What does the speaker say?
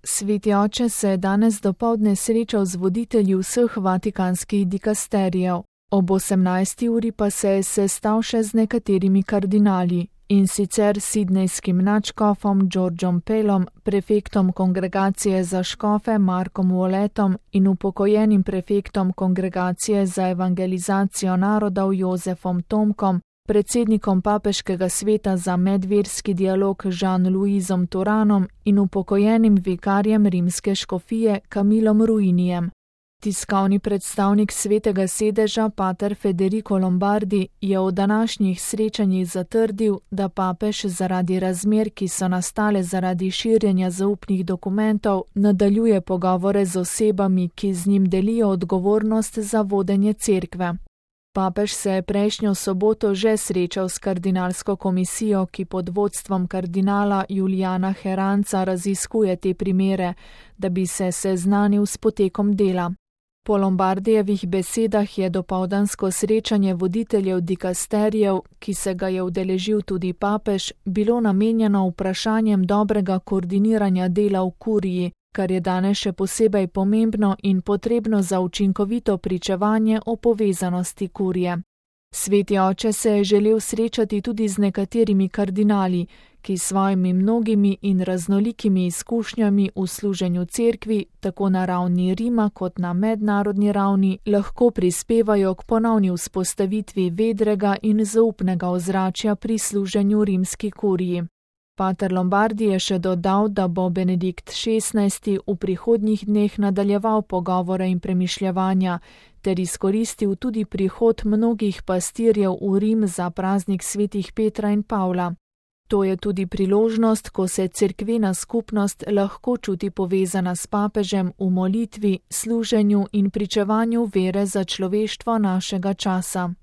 Sveti oče se je danes dopoldne srečal z voditelji vseh vatikanskih dikasterijev. Ob 18. uri pa se je sestal še z nekaterimi kardinali, in sicer sidnejskim nadškofom Georgeom Pelom, prefektom kongregacije za škofe Markom Walletom in upokojenim prefektom kongregacije za evangelizacijo narodov Jozefom Tomkom, predsednikom papeškega sveta za medverski dialog Jean-Louisom Turanom in upokojenim vikarjem rimske škofije Camillom Ruinijem. Tiskovni predstavnik svetega sedeža pater Federico Lombardi je v današnjih srečanjih zatrdil, da papež zaradi razmer, ki so nastale zaradi širjenja zaupnih dokumentov, nadaljuje pogovore z osebami, ki z njim delijo odgovornost za vodenje cerkve. Papež se je prejšnjo soboto že srečal s kardinalsko komisijo, ki pod vodstvom kardinala Julijana Heranca raziskuje te primere, da bi se seznanil s potekom dela. Po Lombardijevih besedah je dopoldansko srečanje voditeljev dikasterijev, ki se ga je udeležil tudi papež, bilo namenjeno vprašanjem dobrega koordiniranja dela v kuriji, kar je danes še posebej pomembno in potrebno za učinkovito pričevanje o povezanosti kurije. Sveti oče se je želel srečati tudi z nekaterimi kardinali, ki svojimi mnogimi in raznolikimi izkušnjami v služenju cerkvi, tako na ravni Rima kot na mednarodni ravni, lahko prispevajo k ponovni vzpostavitvi vedrega in zaupnega ozračja pri služenju rimski kuriji. Pater Lombardi je še dodal, da bo Benedikt XVI v prihodnjih dneh nadaljeval pogovore in premišljevanja ter izkoristil tudi prihod mnogih pastirjev v Rim za praznik svetih Petra in Pavla. To je tudi priložnost, ko se cerkvena skupnost lahko čuti povezana s papežem v molitvi, služenju in pričevanju vere za človeštvo našega časa.